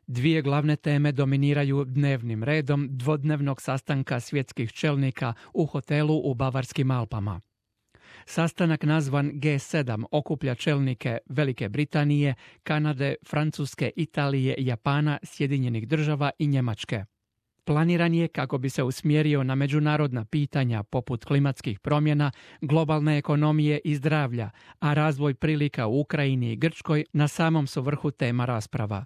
Dvije glavne teme dominiraju dnevnim redom dvodnevnog sastanka svjetskih čelnika u hotelu u Bavarskim Alpama. Sastanak nazvan G7 okuplja čelnike Velike Britanije, Kanade, Francuske, Italije, Japana, Sjedinjenih Država i Njemačke. Planiran je kako bi se usmjerio na međunarodna pitanja poput klimatskih promjena, globalne ekonomije i zdravlja, a razvoj prilika u Ukrajini i Grčkoj na samom su vrhu tema rasprava.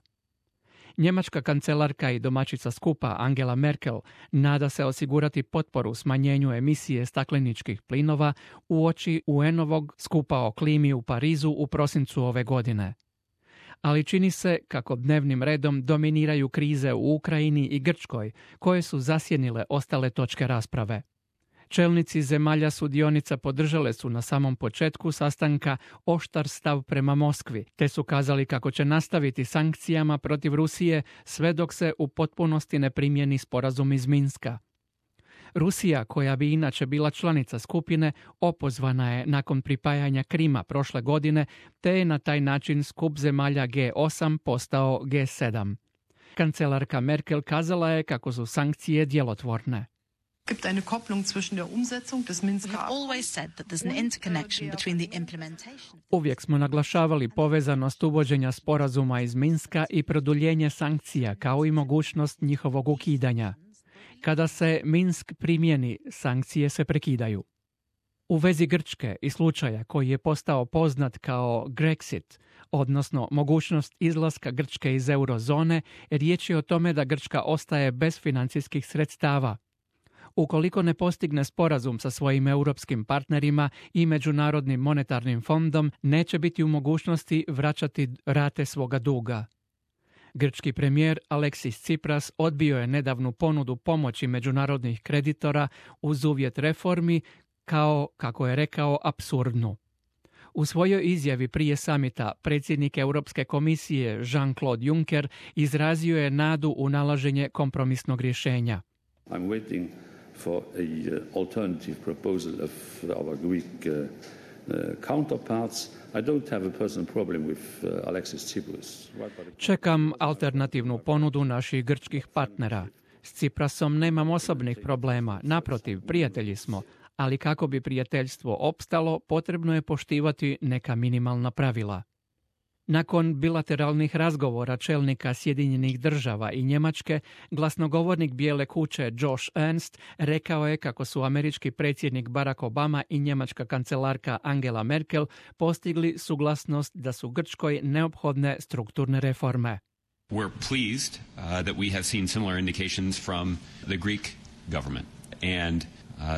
Njemačka kancelarka i domaćica skupa Angela Merkel nada se osigurati potporu smanjenju emisije stakleničkih plinova uoči UN-ovog skupa o klimi u Parizu u prosincu ove godine. Ali čini se kako dnevnim redom dominiraju krize u Ukrajini i Grčkoj, koje su zasjenile ostale točke rasprave. Čelnici zemalja sudionica podržale su na samom početku sastanka oštar stav prema Moskvi, te su kazali kako će nastaviti sankcijama protiv Rusije sve dok se u potpunosti ne primjeni sporazum iz Minska. Rusija, koja bi inače bila članica skupine, opozvana je nakon pripajanja Krima prošle godine, te je na taj način skup zemalja G8 postao G7. Kancelarka Merkel kazala je kako su sankcije djelotvorne. Gibt eine Kopplung zwischen der Umsetzung des Minsker Uvijek smo naglašavali povezanost uvođenja sporazuma iz Minska i produljenje sankcija, kao i mogućnost njihovog ukidanja. Kada se Minsk primjeni, sankcije se prekidaju. U vezi Grčke i slučaja koji je postao poznat kao Grexit, odnosno mogućnost izlaska Grčke iz eurozone, riječ je o tome da Grčka ostaje bez financijskih sredstava. Ukoliko ne postigne sporazum sa svojim europskim partnerima i Međunarodnim monetarnim fondom, neće biti u mogućnosti vraćati rate svoga duga. Grčki premijer Aleksis Tsipras odbio je nedavnu ponudu pomoći međunarodnih kreditora uz uvjet reformi kao, kako je rekao, apsurdnu. U svojoj izjavi prije samita predsjednik Europske komisije Jean-Claude Juncker izrazio je nadu u nalaženje kompromisnog rješenja. I'm waiting for a alternative proposal of our Greek counterparts. I don't have a personal problem with Alexis Tsipras. Čekam alternativnu ponudu naših grčkih partnera. S Tsiprasom nemam osobnih problema, naprotiv, prijatelji smo, ali kako bi prijateljstvo opstalo, potrebno je poštivati neka minimalna pravila. Nakon bilateralnih razgovora čelnika Sjedinjenih Država i Njemačke, glasnogovornik Bijele kuće Josh Ernst rekao je kako su američki predsjednik Barack Obama i njemačka kancelarka Angela Merkel postigli suglasnost da su Grčkoj neophodne strukturne reforme. We're pleased that we have seen similar indications from the Greek government and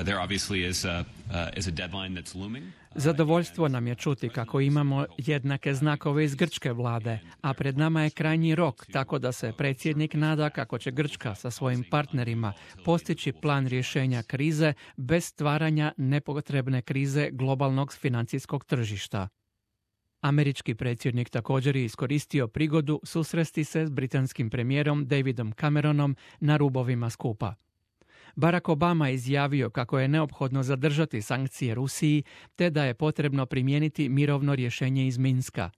there obviously is a deadline that's looming. Zadovoljstvo nam je čuti kako imamo jednake znakove iz grčke vlade, a pred nama je krajnji rok, tako da se predsjednik nada kako će Grčka sa svojim partnerima postići plan rješenja krize bez stvaranja nepotrebne krize globalnog financijskog tržišta. Američki predsjednik također je iskoristio prigodu susresti se s britanskim premijerom Davidom Cameronom na rubovima skupa. Barack Obama je izjavio kako je neophodno zadržati sankcije Rusiji te da je potrebno primijeniti mirovno rješenje iz Minska.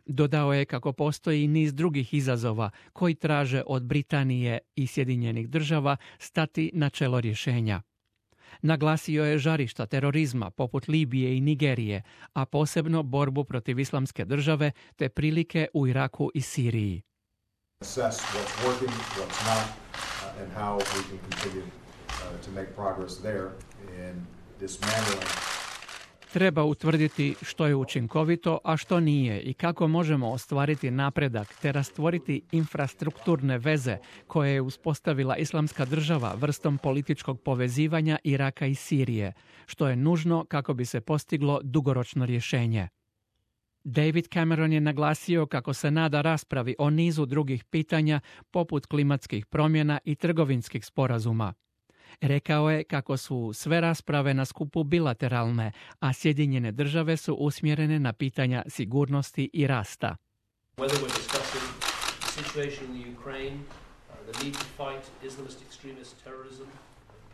Dodao je kako postoji niz drugih izazova koji traže od Britanije i Sjedinjenih Država stati na čelo rješenja. Naglasio je žarišta terorizma poput Libije i Nigerije, a posebno borbu protiv Islamske države te prilike u Iraku i Siriji. Treba utvrditi što je učinkovito, a što nije i kako možemo ostvariti napredak te rastvoriti infrastrukturne veze koje je uspostavila Islamska država vrstom političkog povezivanja Iraka i Sirije, što je nužno kako bi se postiglo dugoročno rješenje. David Cameron je naglasio kako se nada raspravi o nizu drugih pitanja poput klimatskih promjena i trgovinskih sporazuma. Rekao je kako su sve rasprave na skupu bilateralne, a Sjedinjene Države su usmjerene na pitanja sigurnosti i rasta.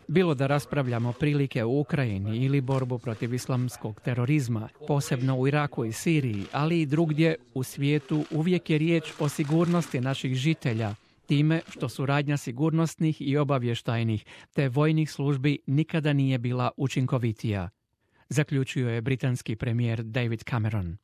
Bilo da raspravljamo prilike u Ukrajini ili borbu protiv islamskog terorizma, posebno u Iraku i Siriji, ali i drugdje u svijetu, uvijek je riječ o sigurnosti naših žitelja, time što suradnja sigurnosnih i obavještajnih te vojnih službi nikada nije bila učinkovitija, zaključio je britanski premijer David Cameron.